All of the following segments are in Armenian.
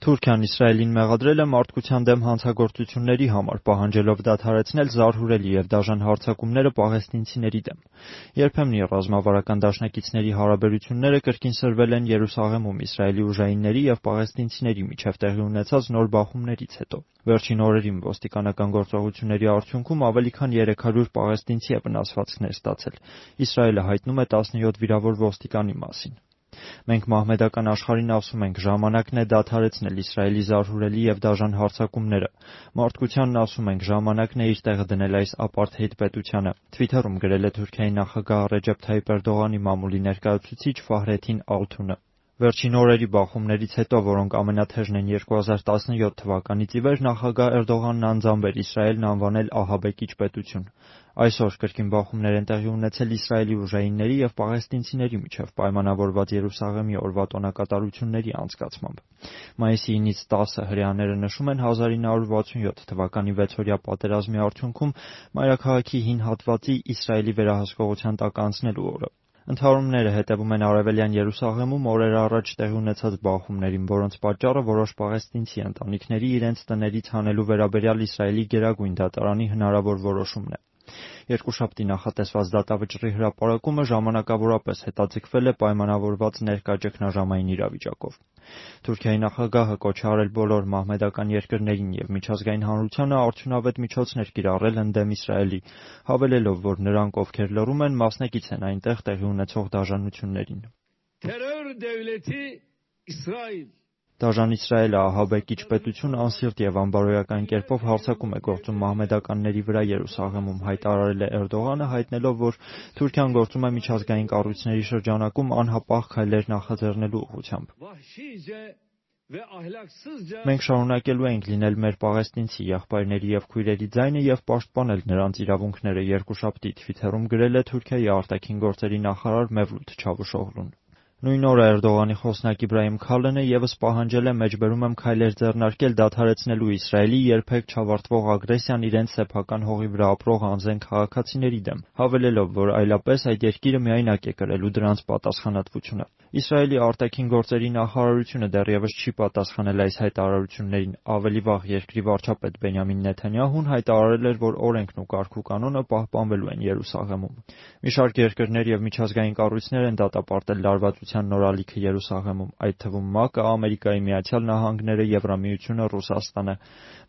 Թուրքիան Իսրայելին մեղադրել է մարդկության դեմ հանցագործությունների համար, պահանջելով դադարեցնել զարհուրելի և դաժան հարձակումները պաղեստինցիների դեմ։ Երբեմն ռազմավարական դաշնակիցների հարաբերությունները կրկին սրվել են Երուսաղեմում Իսրայելի ուժայինների և պաղեստինցիների միջև տեղի ունեցած նոր բախումներից հետո։ Վերջին օրերին ոստիկանական գործողությունների արդյունքում ավելի քան 300 պաղեստինցի է վնասվածքներ ստացել։ Իսրայելը հայտնում է 17 վիրավոր ոստիկանի մասին։ Մենք մահմեդական աշխարհին ասում ենք, ժամանակն է դադարեցնել Իսրայելի զարհուրելի և դաժան հարձակումները։ Մարդկությանն ասում ենք, ժամանակն է իր տեղը դնել այս ապարթեիդ պետությանը, Թվիթերում գրել է Թուրքիայի նախագահ Ռեջեփ Թայիփ Էրդողանի մամուլի ներկայացուցիչ Ֆահրեթին Ալթունը։ Վերջին օրերի բախումներից հետո, որոնք ամենաթեժն են 2017 թվականից ի վեր, նախագահ Էրդողանն անձամբ էր Իսրայելն անվանել ահաբեկիչ պետություն։ Այսօր կրկին բախումներ են տեղի ունեցել Իսրայելի ուժայինների և պաղեստինցիների միջև պայմանավորված Երուսաղեմի օրվա տոնակատարությունների անցկացմամբ։ Մայիսի 9-ից 10-ը հրեաները նշում են 1967 թվականի 6-օրյա պատերազմի արդյունքում մայրաքաղաքի հին հատվածի Իսրայելի վերահսկողության տակ անցնելու օրը։ Ընդհարումները հետևում են Արևելյան Երուսաղեմում օրեր առաջ տեղի ունեցած բախումներին, որոնց պատճառը որոշ պաղեստինցի ընտանիքների իրենց տներից հանելու վերաբերյալ Իսրայելի գերագույն դատարանի հնարավոր որոշումն է։ Երկուշաբթի նախատեսված դատավճռի հրապարակումը ժամանակավորապես հետաձգվել է պայմանավորված ներկա ճգնաժամային իրավիճակով։ Թուրքիայի նախագահը կոչ է արել բոլոր մահմեդական երկրներին և միջազգային հանրությանը արդյունավետ միջոցներ կիրառել ընդդեմ Իսրայելի, հավելելով, որ նրանք, ովքեր լռում են, մասնակից են այնտեղ տեղի ունեցող դաժանություններին։ Դաժան Իսրայելը ահաբեկիչ պետություն անսիրտ և անբարոյական կերպով հարձակում է գործում մահմեդականների վրա Երուսաղեմում, հայտարարել է Էրդողանը, հայտնելով, որ Թուրքիան գործում է միջազգային կառույցների շրջանակում անհապաղ քայլեր նախաձեռնելու ուղղությամբ։ Մենք շարունակելու ենք լինել մեր պաղեստինցի եղբայրների և քույրերի ձայնը և պաշտպանել նրանց իրավունքները, երկուշաբթի Թվիթերում գրել է Թուրքիայի արտաքին գործերի նախարար Մեվլութ Չավուշօղլուն։ Նույն օրը Էրդողանի խոսնակ Իբրահիմ Քալենը ևս պահանջել է մեջբերում եմ քայլեր ձեռնարկել դադարեցնելու Իսրայելի երբեք չավարտվող ագրեսիան իրենց սեփական հողի վրա ապրող անզեն քաղաքացիների դեմ, հավելելով, որ այլապես այդ երկիրը միայնակ է կրելու դրանց պատասխանատվությունը։ Իսրայելի արտաքին գործերի նախարարությունը դեռևս չի պատասխանել այս հայտարարություններին։ Ավելի վաղ երկրի վարչապետ Բենյամին Նեթանյահուն հայտարարել էր, որ օրենքն ու կարգուկանոնը պահպանվելու են Երուսաղեմում։ Մի շարք երկրներ և միջազգային կառույցներ են դատապարտել լարվածության նոր ալիքը Երուսաղեմում, այդ թվում ՄԱԿ-ը, Ամերիկայի Միացյալ Նահանգները, Եվրամիությունը, Ռուսաստանը։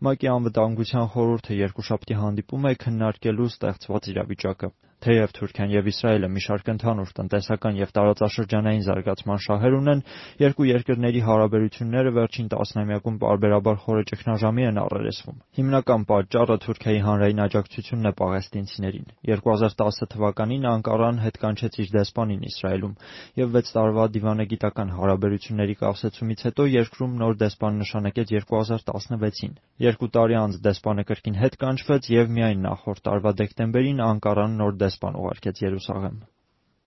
ՄԱԿ-ի անվտանգության խորհուրդը երկուշաբթի հանդիպում է քննարկելու ստեղծված իրավիճակը։ Թեև Թուրքիան և Իսրայելը մի շարք ընդհանուր տնտեսական և տարածաշրջանային զարգացման շահեր ունեն, երկու երկրների հարաբերությունները վերջին տասնամյակում պարբերաբար խորը ճգնաժամի են առերեսվում։ Հիմնական պատճառը Թուրքիայի հանրային աջակցությունն է պաղեստինցիներին։ 2010 թվականին Անկարան հետ կանչեց իր դեսպանին Իսրայելում, և 6 տարվա դիվանագիտական հարաբերությունների կառուցումից հետո երկրում նոր դեսպան նշանակեց 2016-ին։ 2 տարի անց դեսպանը կրկին հետ կանչվեց և միայն նախորդ տարվա դեկտեմբերին Անկարան նոր դեսպան ուղարկեց Երուսաղեմ։